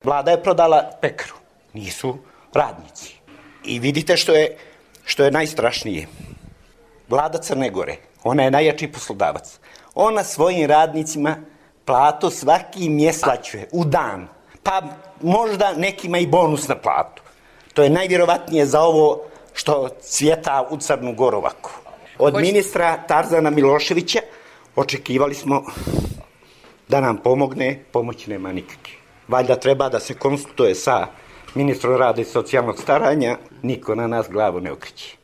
Vlada je prodala pekaru, nisu radnici. I vidite što je najstrašnije. Vlada Crne Gore, ona je najjači poslodavac. Ona svojim radnicima platu svaki mjesec isplaćuje u dan, pa možda nekima i bonus na platu. To je najvjerovatnije za ovo što cvjeta u Crnu Goru ovako. Od ministra Tarzana Miloševića očekivali smo da nam pomogne, pomoći nema nikakve. Valjda treba da se konsultuje sa ministrom rada i socijalnog staranja, niko na nas glavu ne okreće.